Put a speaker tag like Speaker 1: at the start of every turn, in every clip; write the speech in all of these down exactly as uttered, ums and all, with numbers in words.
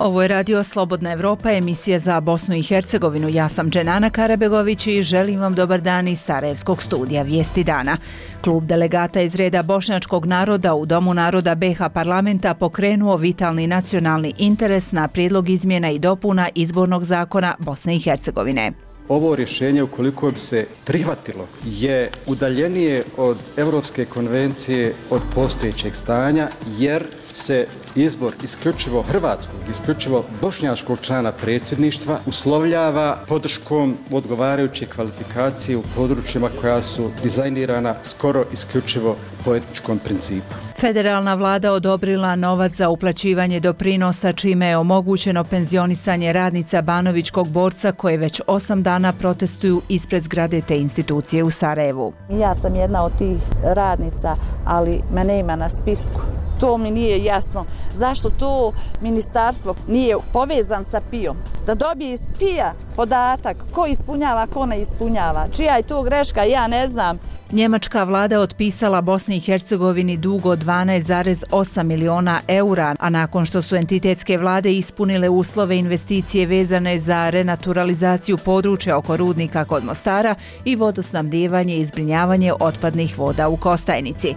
Speaker 1: Ovo je Radio Slobodna Evropa, emisija za Bosnu i Hercegovinu. Ja sam Dženana Karabegović i želim vam dobar dan iz Sarajevskog studija Vijesti dana. Klub delegata iz reda bošnjačkog naroda u Domu naroda B iH parlamenta pokrenuo vitalni nacionalni interes na prijedlog izmjena i dopuna izbornog zakona Bosne i Hercegovine.
Speaker 2: Ovo rješenje, ukoliko bi se prihvatilo, je udaljenije od Europske konvencije od postojećeg stanja, jer se izbor isključivo hrvatskog, isključivo bošnjačkog člana predsjedništva uslovljava podrškom odgovarajuće kvalifikacije u područjima koja su dizajnirana skoro isključivo po etničkom principu.
Speaker 1: Federalna vlada odobrila novac za uplaćivanje doprinosa, čime je omogućeno penzionisanje radnica Banovićkog borca koje već osam dana protestuju ispred zgrade te institucije u Sarajevu.
Speaker 3: Ja sam jedna od tih radnica, ali mene ima na spisku. To mi nije jasno. Zašto to ministarstvo nije povezan sa P I-om? Da dobije iz P I-a podatak ko ispunjava, ko ne ispunjava. Čija je to greška, ja ne znam.
Speaker 1: Njemačka vlada otpisala Bosni i Hercegovini dug od dvanaest zarez osam miliona eura, a nakon što su entitetske vlade ispunile uslove investicije vezane za renaturalizaciju područja oko rudnika kod Mostara i vodosnabdijevanje i zbrinjavanje otpadnih voda u Kostajnici.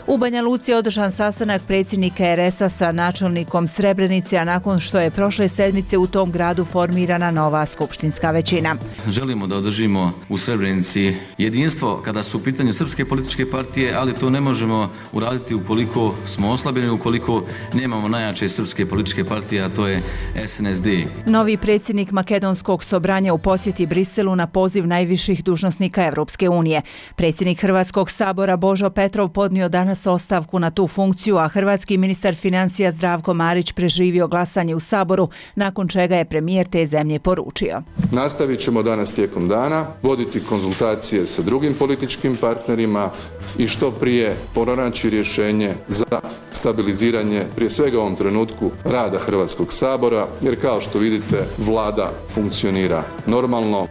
Speaker 1: U Banja Luci je održan sastanak predsjednika R S-a sa načelnikom Srebrenice, a nakon što je prošle sedmice u tom gradu formirana nova skupštinska većina.
Speaker 4: Želimo da održimo u Srebrenici jedinstvo kada su u pitanju srpske političke partije, ali to ne možemo uraditi ukoliko smo oslabljeni, ukoliko nemamo najjače srpske političke partije, a to je S N S D.
Speaker 1: Novi predsjednik Makedonskog sobranja u posjeti Briselu na poziv najviših dužnosnika Evropske unije. Predsjednik Hrvatskog sabora Božo Petrov podnio danas ostavku na tu funkciju, a hrvatski ministar financija Zdravko Marić preživio glasanje u Saboru, nakon čega je premijer te zemlje poručio.
Speaker 5: Nastavit ćemo danas tijekom dana voditi konzultacije sa drugim političkim partnerima i što prije pronaći rješenje za stabiliziranje, prije svega u ovom trenutku, rada Hrvatskog sabora, jer kao što vidite, vlada funkcionira normalno.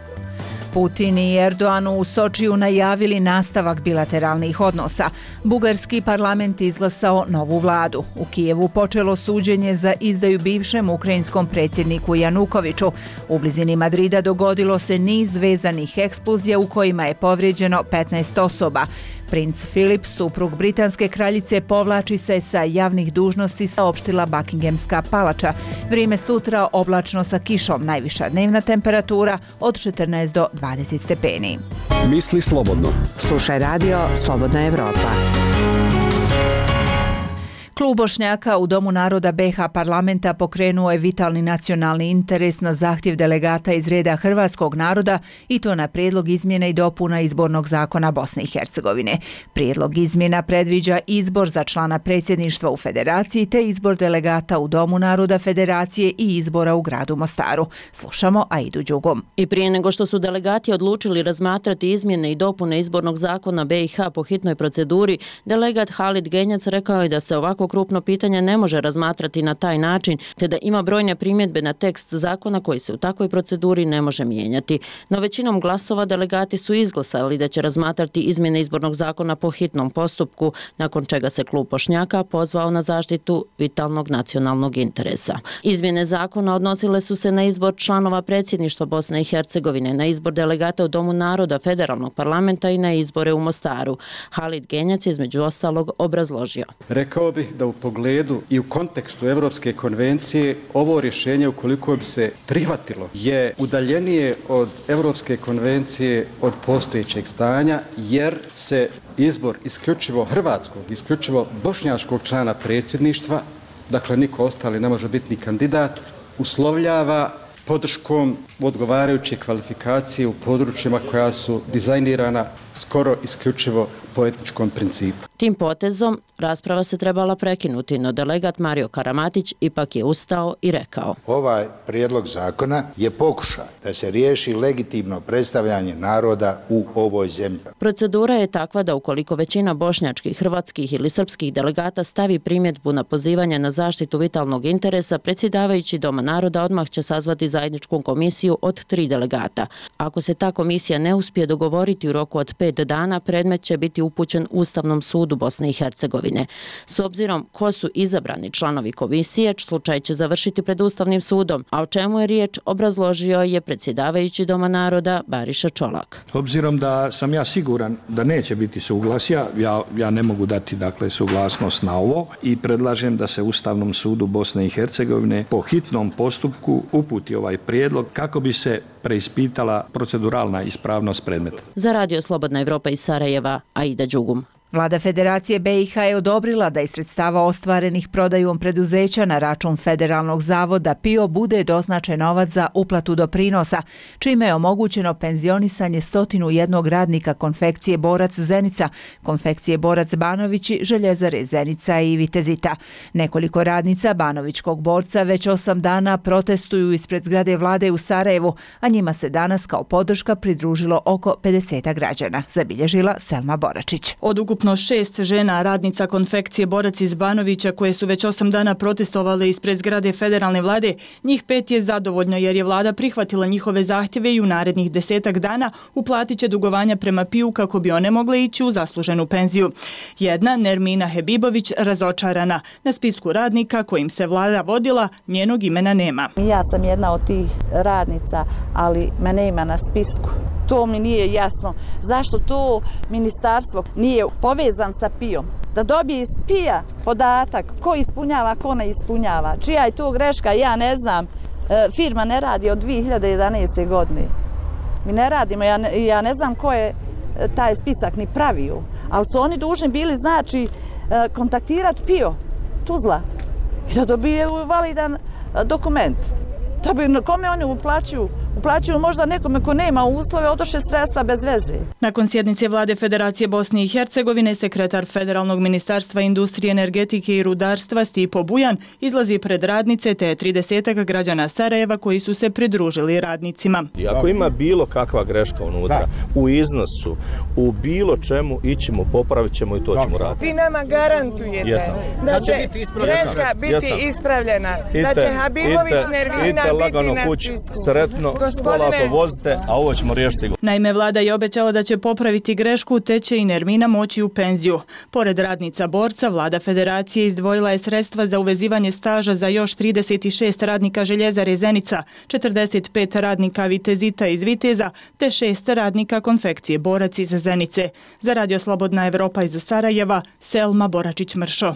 Speaker 1: Putin i Erdogan u Sočiju najavili nastavak bilateralnih odnosa. Bugarski parlament izglasao novu vladu. U Kijevu počelo suđenje za izdaju bivšem ukrajinskom predsjedniku Janukoviću. U blizini Madrida dogodilo se niz vezanih eksplozija u kojima je povrijeđeno petnaest osoba. Princ Filip, suprug britanske kraljice, povlači se sa javnih dužnosti, saopštila Buckinghamska palača. Vrijeme sutra oblačno sa kišom, najviša dnevna temperatura od četrnaest do dvadeset stepeni.
Speaker 6: Misli slobodno.
Speaker 7: Slušaj Radio Slobodna Evropa.
Speaker 1: Klub Bošnjaka u Domu naroda B iH parlamenta pokrenuo je vitalni nacionalni interes na zahtjev delegata iz reda hrvatskog naroda i to na prijedlog izmjena i dopuna izbornog zakona Bosne i Hercegovine. Prijedlog izmjena predviđa izbor za člana predsjedništva u federaciji te izbor delegata u Domu naroda federacije i izbora u gradu Mostaru. Slušamo Aidu Đugum.
Speaker 8: I prije nego što su delegati odlučili razmatrati izmjene i dopune izbornog zakona B iH po hitnoj proceduri, delegat Halid Genjac rekao je da se ovako krupno pitanje ne može razmatrati na taj način, te da ima brojne primjedbe na tekst zakona koji se u takvoj proceduri ne može mijenjati. No većinom glasova delegati su izglasali da će razmatrati izmjene izbornog zakona po hitnom postupku, nakon čega se klub Bošnjaka pozvao na zaštitu vitalnog nacionalnog interesa. Izmjene zakona odnosile su se na izbor članova predsjedništva Bosne i Hercegovine, na izbor delegata u Domu naroda federalnog parlamenta i na izbore u Mostaru. Halid Genjac je između ostalog obrazložio.
Speaker 2: Rekao bih da u pogledu i u kontekstu Europske konvencije ovo rješenje, ukoliko bi se prihvatilo, je udaljenije od Europske konvencije od postojećeg stanja, jer se izbor isključivo hrvatskog, isključivo bošnjačkog člana predsjedništva, dakle niko ostali ne može biti ni kandidat, uslovljava podrškom odgovarajuće kvalifikacije u područjima koja su dizajnirana skoro isključivo po etničkom principu.
Speaker 8: Tim potezom rasprava se trebala prekinuti, no delegat Mario Karamatić ipak je ustao i rekao:
Speaker 9: Ovaj prijedlog zakona je pokušaj da se riješi legitimno predstavljanje naroda u ovoj zemlji.
Speaker 8: Procedura je takva da ukoliko većina bošnjačkih, hrvatskih ili srpskih delegata stavi primjedbu na pozivanje na zaštitu vitalnog interesa, predsjedavajući Doma naroda odmah će sazvati zajedničku komisiju komisiju od tri delegata. Ako se ta komisija ne uspije dogovoriti u roku od pet dana, predmet će biti upućen Ustavnom sudu Bosne i Hercegovine. S obzirom ko su izabrani članovi komisije, slučaj će završiti pred Ustavnim sudom, a o čemu je riječ obrazložio je predsjedavajući Doma naroda Bariša Čolak.
Speaker 6: Obzirom da sam ja siguran da neće biti suglasja, ja, ja ne mogu dati dakle suglasnost na ovo i predlažem da se Ustavnom sudu Bosne i Hercegovine po hitnom postupku uputi ovaj prijedlog kako bi se preispitala proceduralna ispravnost predmeta.
Speaker 8: Za Radio Slobodna Evropa iz Sarajeva, Aida Đugum.
Speaker 1: Vlada Federacije B i H je odobrila da iz sredstava ostvarenih prodajom preduzeća na račun Federalnog zavoda P I O bude doznačen novac za uplatu doprinosa, čime je omogućeno penzionisanje stotinu jednog radnika konfekcije Borac Zenica, konfekcije Borac Banovići, Željezare Zenica i Vitezita. Nekoliko radnica Banovićkog borca već osam dana protestuju ispred zgrade vlade u Sarajevu, a njima se danas kao podrška pridružilo oko pedeset građana, zabilježila Selma Boračić.
Speaker 10: Od ukupno šest žena radnica konfekcije Borac iz Banovića koje su već osam dana protestovale ispred zgrade federalne vlade, njih pet je zadovoljno jer je vlada prihvatila njihove zahtjeve i u narednih desetak dana uplatit će dugovanja prema P I U kako bi one mogle ići u zasluženu penziju. Jedna, Nermina Hebibović, razočarana. Na spisku radnika kojim se vlada vodila, njenog imena nema.
Speaker 3: Ja sam jedna od tih radnica, ali mene ima na spisku. To mi nije jasno. Zašto to ministarstvo nije povezan sa P I O-om? Da dobije iz P I A podatak ko ispunjava, ko ne ispunjava. Čija je to greška, ja ne znam. E, firma ne radi od dvije hiljade jedanaeste. godine. Mi ne radimo, ja ne, ja ne znam ko je taj spisak ni pravio. Ali su oni dužni bili, znači, e, kontaktirati P I O, Tuzla, i da dobije validan dokument. Da bi, kome oni uplaćuju? Uplaćuju možda nekome ko nema uslove, odoše sredstva bez veze.
Speaker 10: Nakon sjednice vlade Federacije Bosne i Hercegovine, sekretar Federalnog ministarstva industrije, energetike i rudarstva Stipo Bujan izlazi pred radnice te tridesetak građana Sarajeva koji su se pridružili radnicima.
Speaker 11: I ako ima bilo kakva greška unutra, u iznosu, u bilo čemu, ićemo, popravit ćemo i to ćemo raditi.
Speaker 12: Vi nama garantujete
Speaker 11: Jesam.
Speaker 12: da će biti greška biti Jesam. ispravljena, ite, da će Habibović ite, Nervina ite biti na
Speaker 11: kuć, spisku. Sretno, polako vozite, a ovo ćemo riješiti sigurno.
Speaker 10: Naime, vlada je obećala da će popraviti grešku, te će i Nermina moći u penziju. Pored radnica Borca, vlada Federacije izdvojila je sredstva za uvezivanje staža za još trideset šest radnika Željezare Zenica, četrdeset pet radnika Vitezita iz Viteza, te šest radnika konfekcije Borac iz Zenice. Za Radio Slobodna Evropa iz Sarajeva, Selma Boračić-Mršo.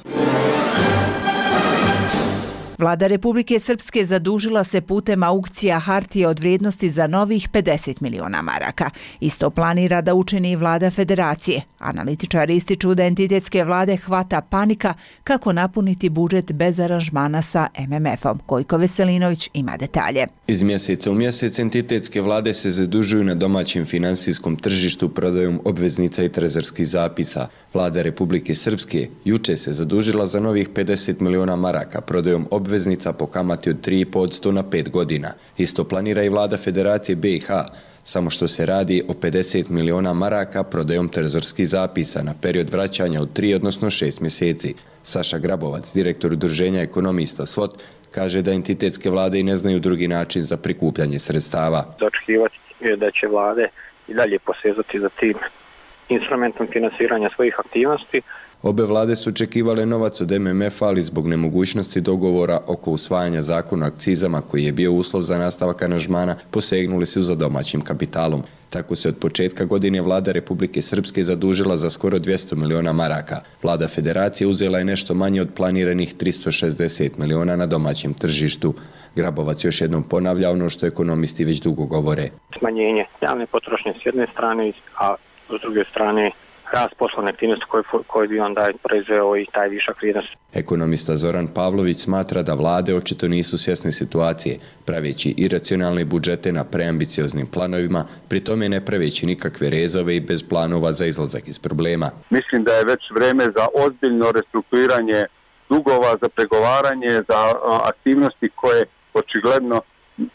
Speaker 1: Vlada Republike Srpske zadužila se putem aukcija hartije od vrijednosti za novih pedeset miliona maraka. Isto planira da učini i vlada Federacije. Analitičari ističu da entitetske vlade hvata panika kako napuniti budžet bez aranžmana sa M M F-om. Gojko Veselinović ima detalje.
Speaker 13: Iz mjeseca u mjesec entitetske vlade se zadužuju na domaćem finansijskom tržištu prodajom obveznica i trezorskih zapisa. Vlada Republike Srpske juče se zadužila za novih pedeset miliona maraka prodajom obveznica po kamati od tri i pol posto na pet godina. Isto planira i vlada Federacije B i H, samo što se radi o pedeset miliona maraka prodajom trezorskih zapisa na period vraćanja od tri odnosno šest mjeseci. Saša Grabovac, direktor udruženja ekonomista S W O T, kaže da entitetske vlade i ne znaju drugi način za prikupljanje sredstava.
Speaker 14: Očekivati je da će vlade i dalje posezati za tim instrumentom finansiranja svojih aktivnosti.
Speaker 13: Obe vlade su očekivale novac od M M F-a, ali zbog nemogućnosti dogovora oko usvajanja zakona o akcizama koji je bio uslov za nastavak aranžmana, posegnuli su za domaćim kapitalom. Tako se od početka godine vlada Republike Srpske zadužila za skoro dvjesto miliona maraka. Vlada Federacije uzela je nešto manje od planiranih tristo šezdeset miliona na domaćem tržištu. Grabovac još jednom ponavlja ono što ekonomisti već dugo govore.
Speaker 14: Smanjenje javne potrošnje s jedne strane, a s druge strane rast poslovne aktivnosti koji, koji bi onda proizveo i taj višak vrijednosti.
Speaker 13: Ekonomista Zoran Pavlović smatra da vlade očito nisu svjesne situacije, praveći iracionalne budžete na preambicioznim planovima, pri tome ne praveći nikakve rezove i bez planova za izlazak iz problema.
Speaker 15: Mislim da je već vreme za ozbiljno restrukturiranje dugova, za pregovaranje, za aktivnosti koje očigledno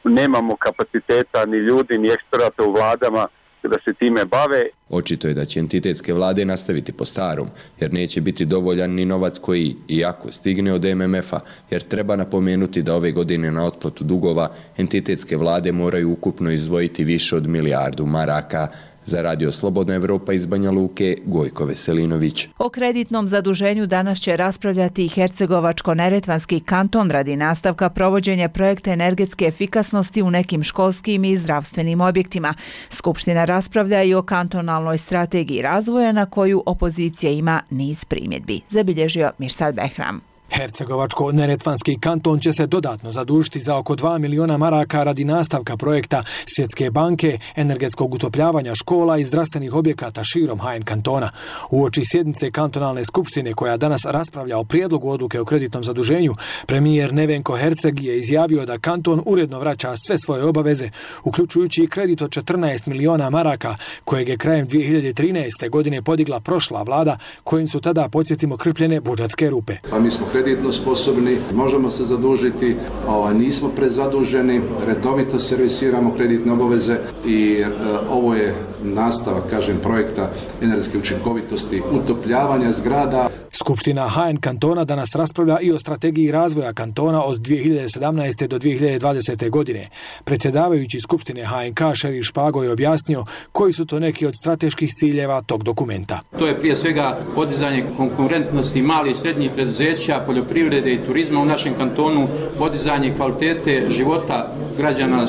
Speaker 15: nemamo kapaciteta ni ljudi, ni eksperata u vladama da se time bave.
Speaker 13: Očito je da će entitetske vlade nastaviti po starom, jer neće biti dovoljan ni novac koji, iako stigne od M M F-a, jer treba napomenuti da ove godine na otplatu dugova entitetske vlade moraju ukupno izdvojiti više od milijardu maraka. Za Radio Slobodna Evropa iz Banja Luke, Gojko Veselinović.
Speaker 1: O kreditnom zaduženju danas će raspravljati i Hercegovačko-Neretvanski kanton radi nastavka provođenja projekta energetske efikasnosti u nekim školskim i zdravstvenim objektima. Skupština raspravlja i o kantonalnoj strategiji razvoja na koju opozicija ima niz primjedbi. Zabilježio Mirsad Behram.
Speaker 16: Hercegovačko-Neretvanski kanton će se dodatno zadužiti za oko dva miliona maraka radi nastavka projekta Svjetske banke, energetskog utopljavanja škola i zdravstvenih objekata širom H N kantona. Uoči sjednice kantonalne skupštine koja danas raspravlja o prijedlogu odluke o kreditnom zaduženju, premijer Nevenko Herceg je izjavio da kanton uredno vraća sve svoje obaveze, uključujući i kredit od četrnaest miliona maraka, kojeg je krajem dvije hiljade trinaeste. godine podigla prošla vlada, kojim su tada, podsjetimo, krpljene budžetske rupe.
Speaker 17: Pa mi smo kreditno sposobni, možemo se zadužiti, ovaj, nismo prezaduženi, redovito servisiramo kreditne obaveze i e, ovo je nastavak, kažem, projekta energetske učinkovitosti, utopljavanja zgrada.
Speaker 16: Skupština H N kantona danas raspravlja i o strategiji razvoja kantona od dvije hiljade sedamnaeste. do dvije hiljade dvadesete. godine. Predsjedavajući Skupštine H N K Šerif Špago je objasnio koji su to neki od strateških ciljeva tog dokumenta.
Speaker 18: To je prije svega podizanje konkurentnosti malih i srednjih preduzeća, poljoprivrede i turizma u našem kantonu, podizanje kvalitete života građana,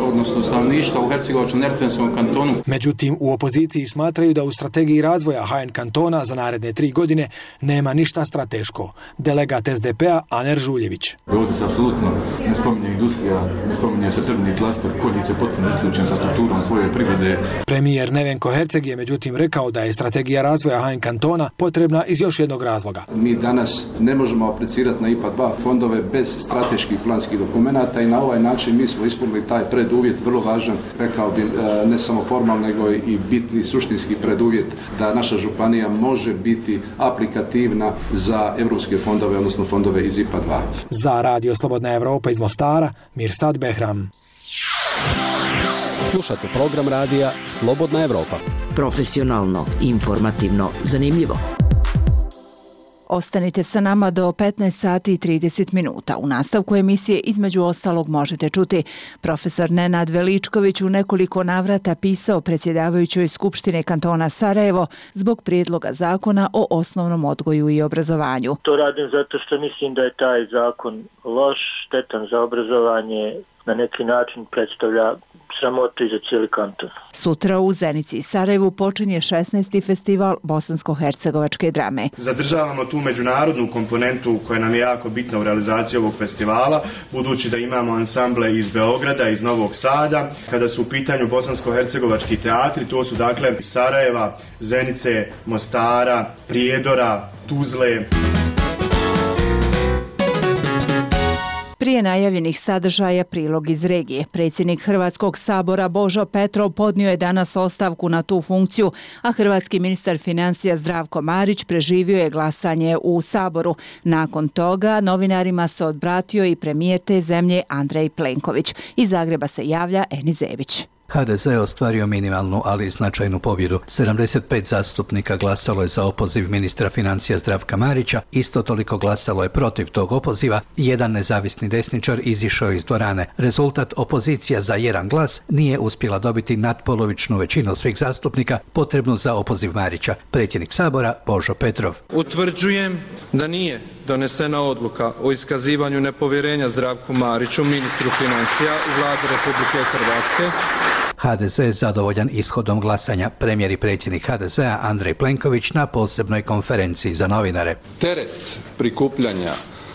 Speaker 18: odnosno stanovništva u Hercegovačko-Neretvanskom kantonu.
Speaker 16: Međutim, u opoziciji smatraju da u strategiji razvoja H N kantona za naredne tri godine nema ništa strateško. Delegat S D P-a Aner Žuljević.
Speaker 19: Ovdje se apsolutno ne spominje industrija, ne spominje se tržni klaster, Konjic je potpuno isključen sa strukturom svoje privrede.
Speaker 16: Premijer Nevenko Herceg je međutim rekao da je strategija razvoja H N kantona potrebna iz još jednog razloga.
Speaker 17: Mi danas ne možemo aplicirati na I P A dva fondove bez strateških planskih dokumenata i na ovaj način mi smo ispunili taj preduvjet, vrlo važan, rekao bi ne samo formalno, nego i bitni suštinski preduvjet da naša županija može biti aplikativna za evropske fondove, odnosno fondove iz I P A dva.
Speaker 16: Za Radio Slobodna Evropa iz Mostara, Mirsad Behram.
Speaker 20: Slušate program radija Slobodna Evropa.
Speaker 7: Profesionalno, informativno, zanimljivo.
Speaker 1: Ostanite sa nama do petnaest sati i trideset minuta. U nastavku emisije između ostalog možete čuti profesor Nenad Veličković u nekoliko navrata pisao predsjedavajućoj Skupštine kantona Sarajevo zbog prijedloga zakona o osnovnom odgoju i obrazovanju.
Speaker 21: To radim zato što mislim da je taj zakon loš, štetan za obrazovanje, na neki način predstavlja sramotu i za cijeli kanton.
Speaker 1: Sutra u Zenici i Sarajevu počinje šesnaesti festival bosansko-hercegovačke drame.
Speaker 22: Zadržavamo tu međunarodnu komponentu koja nam je jako bitna u realizaciji ovog festivala, budući da imamo ansamble iz Beograda, iz Novog Sada. Kada su u pitanju bosansko-hercegovački teatri, to su dakle Sarajeva, Zenice, Mostara, Prijedora, Tuzle.
Speaker 1: Prije najavljenih sadržaja prilog iz regije. Predsjednik Hrvatskog sabora Božo Petrov podnio je danas ostavku na tu funkciju, a hrvatski ministar financija Zdravko Marić preživio je glasanje u saboru. Nakon toga novinarima se odbratio i premijer te zemlje Andrej Plenković. Iz Zagreba se javlja Eni Zebić.
Speaker 23: H D Z je ostvario minimalnu, ali značajnu pobjedu. sedamdeset pet zastupnika glasalo je za opoziv ministra financija Zdravka Marića, isto toliko glasalo je protiv tog opoziva i jedan nezavisni desničar izišao iz dvorane. Rezultat: opozicija za jedan glas nije uspjela dobiti natpolovičnu većinu svih zastupnika potrebnu za opoziv Marića. Predsjednik sabora Božo Petrov.
Speaker 24: Utvrđujem da nije donesena odluka o iskazivanju nepovjerenja Zdravku Mariću, ministru financija u Vladi Republike Hrvatske.
Speaker 23: H D Z je zadovoljan ishodom glasanja. Premijer i predsjednik H D Z-a Andrej Plenković na posebnoj konferenciji za novinare.
Speaker 5: Teret prikupljanja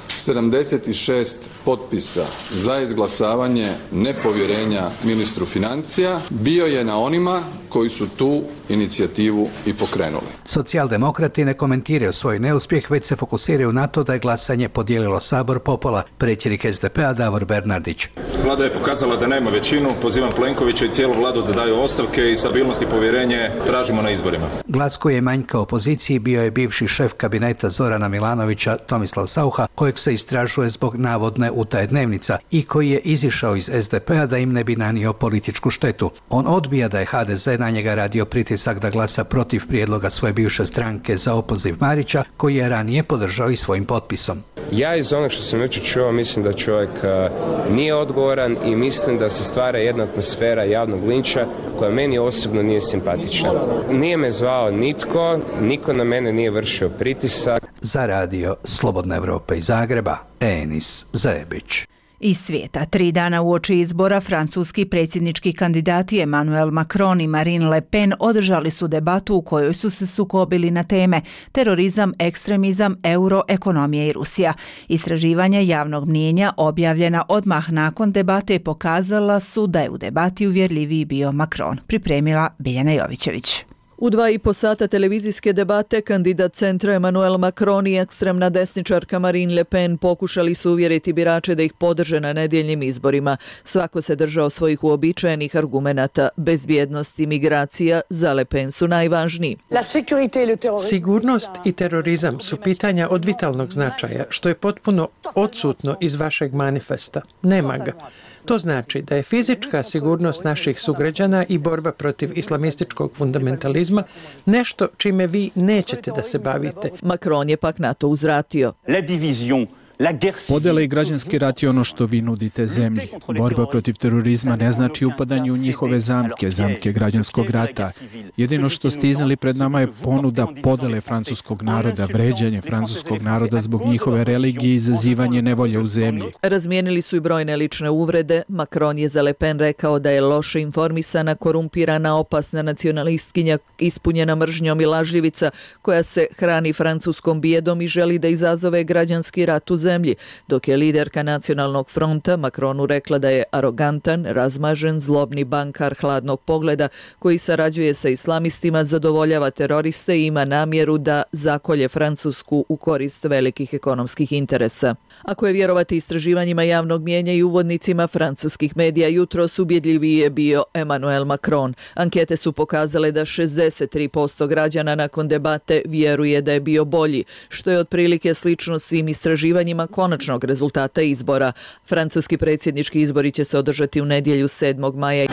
Speaker 5: sedamdeset šest potpisa za izglasavanje nepovjerenja ministru financija bio je na onima koji su tu inicijativu i pokrenuli.
Speaker 23: Socijaldemokrati ne komentiraju svoj neuspjeh, već se fokusiraju na to da je glasanje podijelilo Sabor popola. Predsjednik es de pe-a Davor Bernardić.
Speaker 2: Vlada je pokazala da nema većinu, pozivam Plenkovića i cijelu vladu da daju ostavke i stabilnost i povjerenje tražimo na izborima.
Speaker 23: Glas koji je manjka opoziciji bio je bivši šef kabineta Zorana Milanovića Tomislav Saucha, kojeg se istražuje zbog navodne utaje dnevnica i koji je izišao iz es de pe-a da im ne bi nanio političku štetu. On odbija da je ha de ze na njega radio pritisak da glasa protiv prijedloga svoje bivše stranke za opoziv Marića, koji je ranije podržao i svojim potpisom.
Speaker 4: Ja iz onog što sam jučer čuo mislim da čovjek uh, nije odgovoran i mislim da se stvara jedna atmosfera javnog linča koja meni osobno nije simpatična. Nije me zvao nitko, niko na mene nije vršio pritisak.
Speaker 23: Za radio Slobodna Evropa iz Zagreba, Enis Zajebić.
Speaker 1: Iz svijeta, tri dana uoči izbora, francuski predsjednički kandidati Emmanuel Macron i Marine Le Pen održali su debatu u kojoj su se sukobili na teme terorizam, ekstremizam, euro, ekonomija i Rusija. Istraživanja javnog mnijenja objavljena odmah nakon debate pokazala su da je u debati uvjerljiviji bio Macron, pripremila Biljana Jovićević.
Speaker 6: U dva i po sata televizijske debate kandidat centra Emmanuel Macron i ekstremna desničarka Marine Le Pen pokušali su uvjeriti birače da ih podrže na nedjeljnim izborima. Svako se držao svojih uobičajenih argumenata. Bezbjednost i migracija za Le Pen su najvažniji.
Speaker 9: Sigurnost i terorizam su pitanja od vitalnog značaja, što je potpuno odsutno iz vašeg manifesta. Nema ga. To znači da je fizička sigurnost naših sugrađana i borba protiv islamističkog fundamentalizma nešto čime vi nećete da se bavite.
Speaker 6: Macron je pak na to uzvratio.
Speaker 25: Podjela i građanski rat je ono što vi nudite zemlji. Borba protiv terorizma ne znači upadanje u njihove zamke, zamke građanskog rata. Jedino što ste iznali pred nama je ponuda podjele francuskog naroda, vređanje francuskog naroda zbog njihove religije i izazivanje nevolje u zemlji.
Speaker 6: Razmijenili su i brojne lične uvrede. Macron je za Le Pen rekao da je loše informisana, korumpirana, opasna nacionalistkinja, ispunjena mržnjom i lažljivica koja se hrani francuskom bijedom i želi da izazove građanski rat u zemlji. Dok je liderka Nacionalnog fronta Macronu rekla da je arogantan, razmažen, zlobni bankar hladnog pogleda koji sarađuje sa islamistima, zadovoljava teroriste i ima namjeru da zakolje Francusku u korist velikih ekonomskih interesa. Ako je vjerovati istraživanjima javnog mijenja i uvodnicima francuskih medija, jutros ubjedljiviji je bio Emmanuel Macron. Ankete su pokazale da šezdeset tri posto građana nakon debate vjeruje da je bio bolji, što je otprilike slično svim istraživanjima konačnog rezultata izbora. Francuski predsjednički izbori će se održati u nedjelju sedmog maja.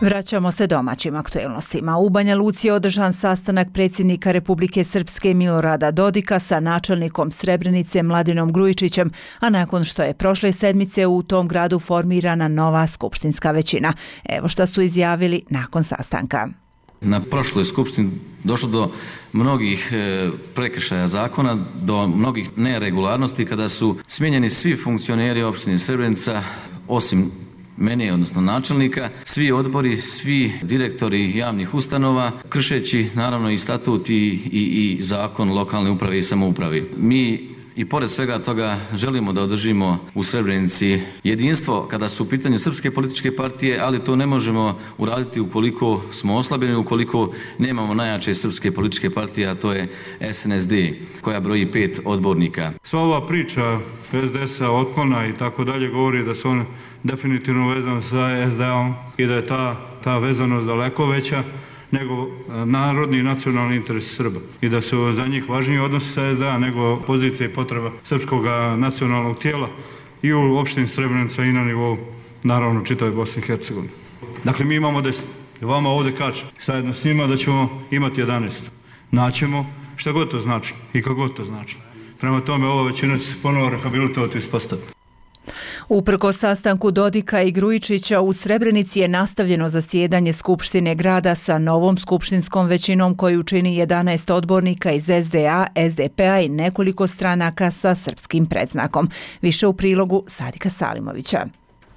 Speaker 1: Vraćamo se domaćim aktuelnostima. U Banja Luci je održan sastanak predsjednika Republike Srpske Milorada Dodika sa načelnikom Srebrenice Mladinom Grujičićem, a nakon što je prošle sedmice u tom gradu formirana nova skupštinska većina. Evo šta su izjavili nakon sastanka.
Speaker 26: Na prošloj skupštini došlo do mnogih prekršaja zakona, do mnogih neregularnosti kada su smijenjeni svi funkcioneri opštine Srebrenica, osim meni, odnosno načelnika, svi odbori, svi direktori javnih ustanova, kršeći naravno i statut i, i, i zakon lokalne uprave i samoupravi. Mi i pored svega toga želimo da održimo u Srebrenici jedinstvo kada su u pitanju srpske političke partije, ali to ne možemo uraditi ukoliko smo oslabljeni, ukoliko nemamo najjače srpske političke partije, a to je es en es de, koja broji pet odbornika.
Speaker 27: Sva ova priča es de es-a, otklona i tako dalje govori da su on definitivno vezan sa es de a-om i da je ta, ta vezanost daleko veća nego narodni i nacionalni interes Srba i da su za njih važniji odnosi sa es de a nego pozicija i potreba srpskog nacionalnog tijela i u opštini Srebrenica i na nivou naravno čitave Bosne i Hercegovine. Dakle, mi imamo deset. Vama ovdje kažem, zajedno s njima da ćemo imati jedanaest. Naćemo šta god to znači i kako god to znači. Prema tome, ova većina će se ponovo rehabilitovati i ispostaviti.
Speaker 1: Uprkos sastanku Dodika i Grujičića u Srebrenici je nastavljeno zasjedanje Skupštine grada sa novom skupštinskom većinom koju čini jedanaest odbornika iz es de a, es de pe-a i nekoliko stranaka sa srpskim predznakom. Više u prilogu Sadika Salimovića.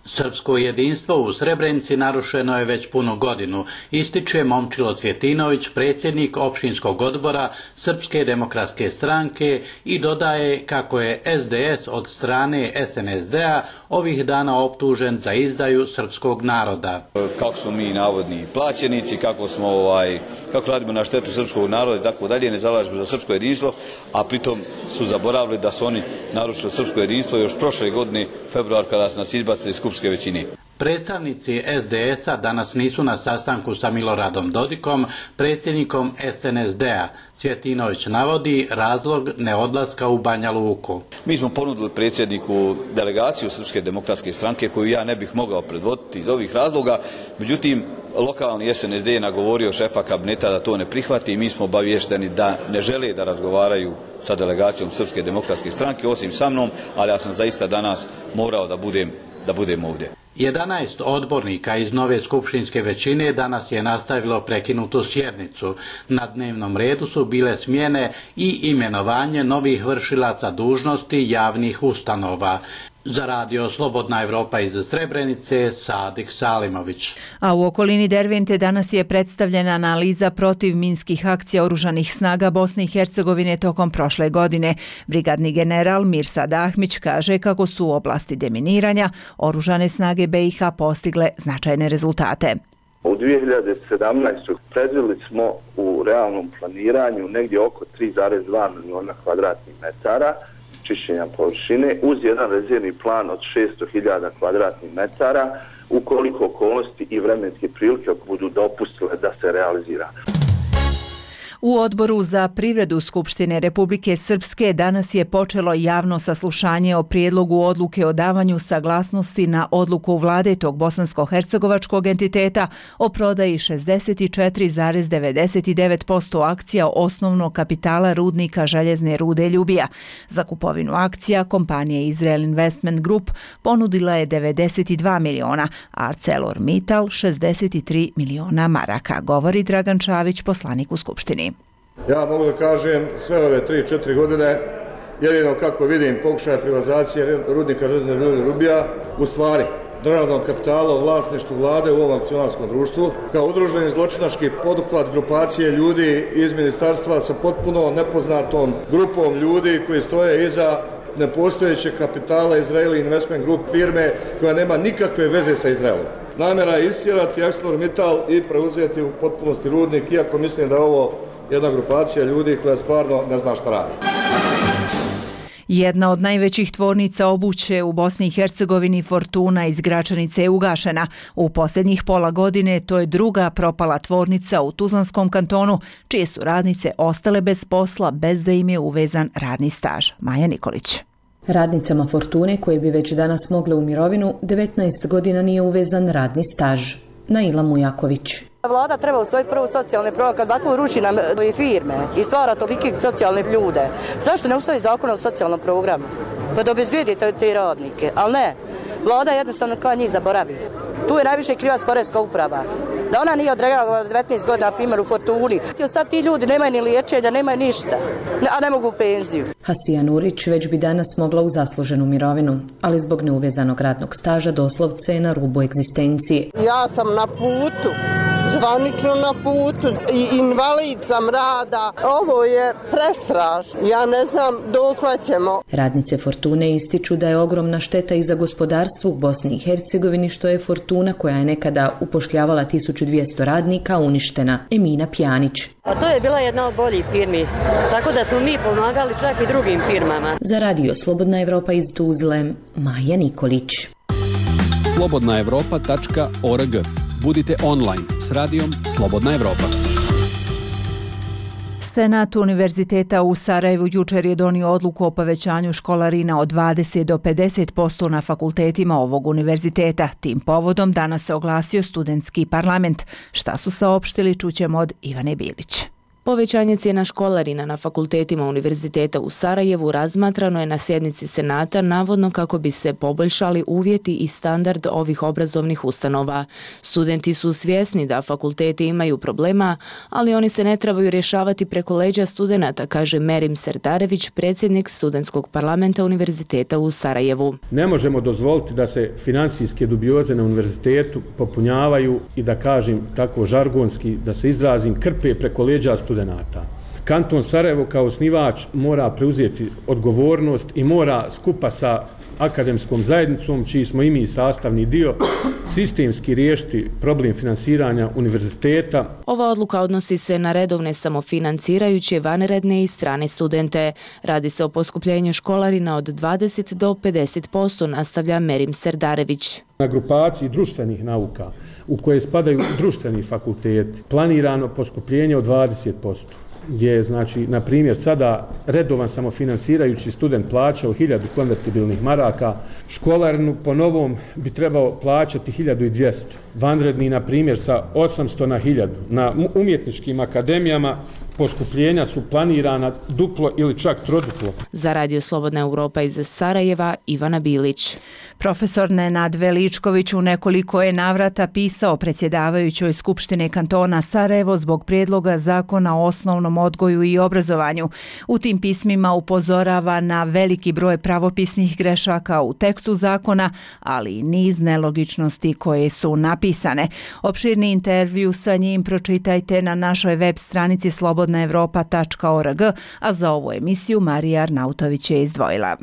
Speaker 3: Srpsko jedinstvo u Srebrenici narušeno je već punu godinu, ističe Momčilo Cvjetinović, predsjednik općinskog odbora Srpske demokratske stranke i dodaje kako je S D S od strane S N S D-a ovih dana optužen za izdaju srpskog naroda.
Speaker 8: Kako smo mi navodni plaćenici, kako smo ovaj, kako radimo na štetu srpskog naroda i tako dalje, ne zalažemo za srpsko jedinstvo, a pritom su zaboravili da su oni narušili srpsko jedinstvo još prošle godine, februar, kada su nas izbacili iz skupštinske većine.
Speaker 3: Predstavnici S D S-a danas nisu na sastanku sa Miloradom Dodikom, predsjednikom S N S D-a. Cvjetinović navodi razlog neodlaska u Banja Luku.
Speaker 8: Mi smo ponudili predsjedniku delegaciju Srpske demokratske stranke koju ja ne bih mogao predvoditi iz ovih razloga, međutim lokalni S N S D je nagovorio šefa kabineta da to ne prihvati i mi smo obavješteni da ne žele da razgovaraju sa delegacijom Srpske demokratske stranke osim sa mnom, ali ja sam zaista danas morao da budem, da budem ovdje.
Speaker 3: jedanaest odbornika iz nove skupštinske većine danas je nastavilo prekinutu sjednicu. Na dnevnom redu su bile smjene i imenovanje novih vršilaca dužnosti javnih ustanova. Za radio Slobodna Evropa iz Srebrenice, Sadik Salimović.
Speaker 1: A u okolini Dervente danas je predstavljena analiza protiv minskih akcija oružanih snaga Bosne i Hercegovine tokom prošle godine. Brigadni general Mirsad Ahmić kaže kako su u oblasti deminiranja oružane snage B i H postigle značajne rezultate.
Speaker 10: U dvije hiljade sedamnaestoj. predvidjeli smo u realnom planiranju negdje oko tri zarez dva miliona kvadratnih metara čišćenja površine uz jedan rezervni plan od šesto hiljada kvadratnih metara ukoliko okolnosti i vremenske prilike budu dopustile da se realizira.
Speaker 1: U Odboru za privredu Skupštine Republike Srpske danas je počelo javno saslušanje o prijedlogu odluke o davanju saglasnosti na odluku vlade tog bosansko-hercegovačkog entiteta o prodaji šezdeset četiri zarez devedeset devet posto akcija osnovnog kapitala rudnika željezne rude Ljubija. Za kupovinu akcija kompanija Israel Investment Group ponudila je devedeset dva miliona, a ArcelorMittal šezdeset tri miliona maraka, govori Dragan Čavić, poslanik u Skupštini.
Speaker 11: Ja mogu da kažem sve ove tri četiri godine, jedino kako vidim pokušaja privatizacije rudnika željezne rude Ljubija, u stvari državnog kapitala u vlasništvu vlade u ovom akcionarskom društvu, kao udruženi zločinački poduhvat grupacije ljudi iz ministarstva sa potpuno nepoznatom grupom ljudi koji stoje iza nepostojećeg kapitala Israel Investment Group firme koja nema nikakve veze sa Izraelom. Namjera je istjerati ArcelorMittal i preuzeti u potpunosti rudnik, iako mislim da je ovo jedna grupacija ljudi koja stvarno ne zna šta radi.
Speaker 1: Jedna od najvećih tvornica obuće u Bosni i Hercegovini, Fortuna iz Gračanice, je ugašena. U posljednjih pola godine to je druga propala tvornica u Tuzlanskom kantonu, čije su radnice ostale bez posla bez da im je uvezan radni staž. Maja Nikolić.
Speaker 12: Radnicama Fortune, koje bi već danas mogle u mirovinu, devetnaest godina nije uvezan radni staž. Naila Mujaković.
Speaker 14: Vlada treba usvojiti prvo socijalne programe, kad ovako ruši nam firme i stvara tolike socijalne ljude. Zašto ne usvoji zakon o socijalnom programu? Pa da obezbijedi te radnike, ali ne. Vlada jednostavno kao njih zaboravi. Tu je najviše kriva poreska uprava. Da ona nije odreagovala devetnaest godina, na primjer, u Fortuni. Sad ti ljudi nemaju ni liječenja, nemaju ništa, a ne mogu u penziju.
Speaker 12: Hasija Nurić već bi danas mogla u zasluženu mirovinu, ali zbog neuvezanog radnog staža doslovce je na rubu egzistencije.
Speaker 15: Ja sam na putu, zvanično na putu, i invalid sam rada. Ovo je prestrašno. Ja ne znam dokle ćemo.
Speaker 12: Radnice Fortune ističu da je ogromna šteta i za gospodarstvo u Bosni i Hercegovini, što je Fortuna, koja je nekada upošljavala tisuću dvjesto radnika, uništena. Emina Pjanić.
Speaker 28: A to je bila jedna od boljih firmi, tako da smo mi pomagali čak i drugim firmama.
Speaker 12: Za radio Slobodna Evropa iz Tuzle, Maja Nikolić.
Speaker 20: slobodna evropa tačka org. Budite online s radijom Slobodna Evropa.
Speaker 1: Senat Univerziteta u Sarajevu jučer je donio odluku o povećanju školarina od dvadeset do pedeset posto na fakultetima ovog univerziteta. Tim povodom danas se oglasio studentski parlament. Šta su saopštili, čućemo od Ivane Bilić.
Speaker 12: Povećanje cijena školarina na fakultetima Univerziteta u Sarajevu razmatrano je na sjednici Senata navodno kako bi se poboljšali uvjeti i standard ovih obrazovnih ustanova. Studenti su svjesni da fakulteti imaju problema, ali oni se ne trebaju rješavati preko leđa studenata, kaže Merim Serdarević, predsjednik studentskog parlamenta Univerziteta u Sarajevu.
Speaker 7: Ne možemo dozvoliti da se financijske dubioze na univerzitetu popunjavaju i da kažem tako žargonski, da se izrazim, krpe preko leđa studenata. Kanton Sarajevo kao osnivač mora preuzeti odgovornost i mora skupa sa akademskom zajednicom, čiji smo i mi sastavni dio, sistemski riješiti problem finansiranja univerziteta.
Speaker 12: Ova odluka odnosi se na redovne samofinancirajuće vanredne i strane studente. Radi se o poskupljenju školarina od dvadeset do pedeset posto, nastavlja Merim Serdarević.
Speaker 7: Na grupaciji društvenih nauka, u koje spadaju društveni fakulteti, planirano poskupljenje od dvadeset posto. Je, znači, na primjer, sada redovan samofinansirajući student plaćao hiljadu konvertibilnih maraka, školarinu po novom bi trebao plaćati hiljadu dvjesto. Vanredni, na primjer, sa osamsto na hiljadu. Na umjetničkim akademijama poskupljenja su planirana duplo ili čak troduplo.
Speaker 12: Za Radio Slobodna Europa iz Sarajeva, Ivana Bilić.
Speaker 1: Profesor Nenad Veličković u nekoliko je navrata pisao predsjedavajućoj Skupštine kantona Sarajevo zbog prijedloga zakona o osnovnom odgoju i obrazovanju. U tim pismima upozorava na veliki broj pravopisnih grešaka u tekstu zakona, ali i niz nelogičnosti koje su napisane. Opširni intervju sa njim pročitajte na našoj web stranici slobodna europa tačka org, a za ovu emisiju Marija Arnautović je izdvojila.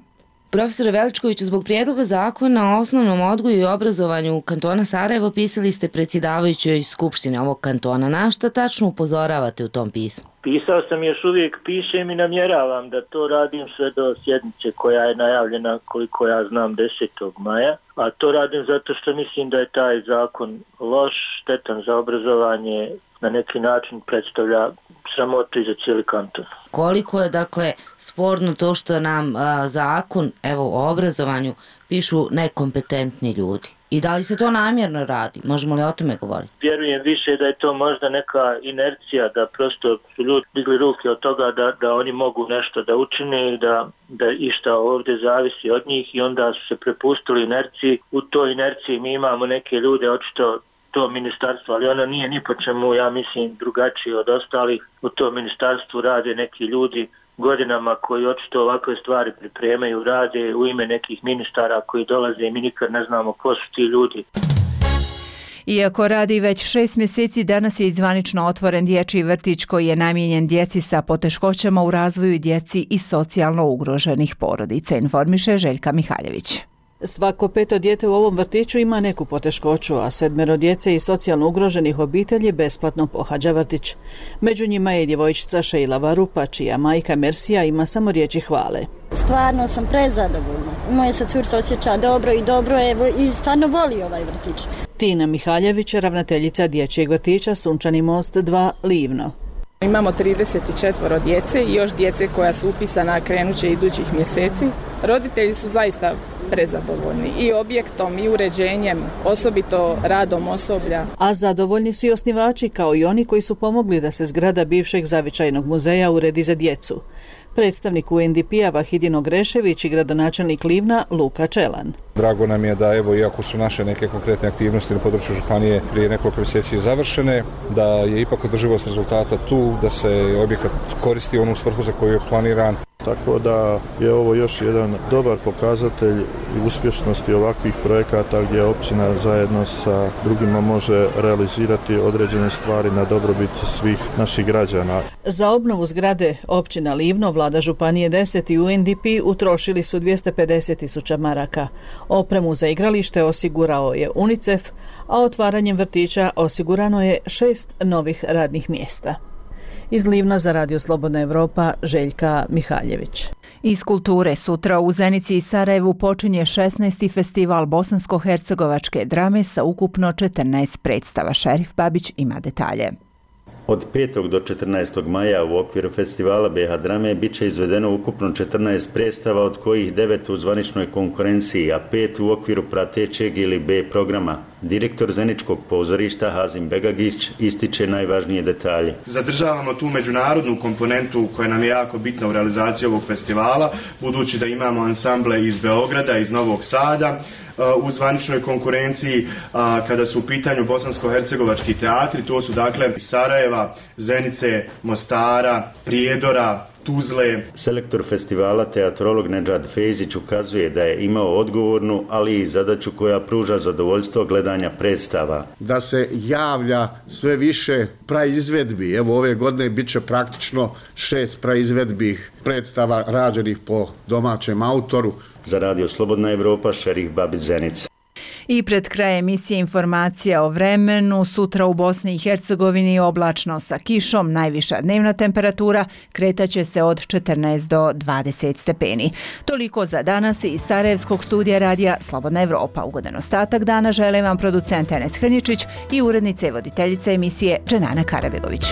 Speaker 13: Profesore Veličkoviću, zbog prijedloga zakona o osnovnom odgoju i obrazovanju kantona Sarajevo pisali ste predsjedavajućoj Skupštine ovog kantona. Na šta tačno upozoravate u tom pismu?
Speaker 16: Pisao sam, još uvijek pišem i namjeravam da to radim sve do sjednice koja je najavljena, koliko ja znam, desetog maja. A to radim zato što mislim da je taj zakon loš, štetan za obrazovanje, na neki način predstavlja sramotu i za cijeli kanton.
Speaker 13: Koliko je, dakle, sporno to što nam a, zakon, evo, o obrazovanju pišu nekompetentni ljudi? I da li se to namjerno radi? Možemo li o tome govoriti?
Speaker 16: Vjerujem više da je to možda neka inercija, da prosto su ljudi digli ruke od toga da, da oni mogu nešto da učine i da, da išta ovdje zavisi od njih i onda su se prepustili inerciji. U toj inerciji mi imamo neke ljude, očito to ministarstvo, ali ono nije ni po čemu, ja mislim, drugačije od ostalih. U tom ministarstvu rade neki ljudi godinama koji očito ovakve stvari pripremaju, rade u ime nekih ministara koji dolaze i mi nikad ne znamo ko su ti ljudi.
Speaker 1: Iako radi već šest mjeseci, danas je zvanično otvoren dječji vrtić koji je namijenjen djeci sa poteškoćama u razvoju, djeci i socijalno ugroženih porodica, informiše Željka Mihaljević.
Speaker 17: Svako peto dijete u ovom vrtiću ima neku poteškoću, a sedmero djece iz socijalno ugroženih obitelji besplatno pohađa vrtić. Među njima je djevojčica Šejla Varupa, čija majka Mersija ima samo riječi hvale.
Speaker 18: Stvarno sam prezadovoljna. Moja se curca osjeća dobro i dobro je i stvarno voli ovaj vrtić.
Speaker 17: Tina Mihaljević, ravnateljica dječjeg vrtića Sunčani most dva Livno.
Speaker 19: Imamo trideset četiri djece i još djece koja su upisana krenuće idućih mjeseci. Roditelji su zaista prezadovoljni i objektom i uređenjem, osobito radom osoblja.
Speaker 17: A zadovoljni su i osnivači, kao i oni koji su pomogli da se zgrada bivšeg zavičajnog muzeja uredi za djecu. Predstavnik U N D P-a Vahidin Ogrešević i gradonačelnik Livna Luka Čelan.
Speaker 21: Drago nam je da, evo, iako su naše neke konkretne aktivnosti na području županije prije nekoliko mjeseci završene, da je ipak održivost rezultata tu, da se objekat koristi u onu svrhu za koju je planiran.
Speaker 22: Tako da je ovo još jedan dobar pokazatelj uspješnosti ovakvih projekata gdje općina zajedno sa drugima može realizirati određene stvari na dobrobit svih naših građana.
Speaker 17: Za obnovu zgrade općina Livno, vlada županije deset i U N D P utrošili su dvjesto pedeset tisuća maraka. Opremu za igralište osigurao je UNICEF, a otvaranjem vrtića osigurano je šest novih radnih mjesta. Iz Livna za Radio Slobodna Europa, Željka Mihaljević.
Speaker 1: Iz kulture sutra u Zenici i Sarajevu počinje šesnaesti festival bosansko-hercegovačke drame sa ukupno četrnaest predstava. Šerif Babić ima detalje.
Speaker 2: Od petog do četrnaestog maja u okviru festivala B H Drame bit će izvedeno ukupno četrnaest predstava, od kojih devet u zvaničnoj konkurenciji, a pet u okviru pratećeg ili B programa. Direktor Zeničkog pozorišta Hazim Begagić ističe najvažnije detalje.
Speaker 4: Zadržavamo tu međunarodnu komponentu koja nam je jako bitna u realizaciji ovog festivala, budući da imamo ansamble iz Beograda, iz Novog Sada, u zvaničnoj konkurenciji kada su u pitanju bosansko-hercegovački teatri, to su dakle iz Sarajeva, Zenice, Mostara, Prijedora, Tuzle.
Speaker 2: Selektor festivala, teatrolog Nedžad Fejzić, ukazuje da je imao odgovornu, ali i zadaću koja pruža zadovoljstvo gledanja predstava.
Speaker 5: Da se javlja sve više praizvedbi. Evo ove godine bit će praktično šest praizvedbi predstava rađenih po domaćem autoru.
Speaker 2: Za Radio Slobodna Evropa, Šerih Babić, Zenica.
Speaker 1: I pred kraj emisije informacija o vremenu. Sutra u Bosni i Hercegovini oblačno sa kišom, najviša dnevna temperatura kretaće se od četrnaest do dvadeset stepeni. Toliko za danas iz Sarajevskog studija radija Slobodna Evropa. Ugodan ostatak dana želim vam producent Enes Hrničić i urednica i voditeljica emisije Dženana Karabegović.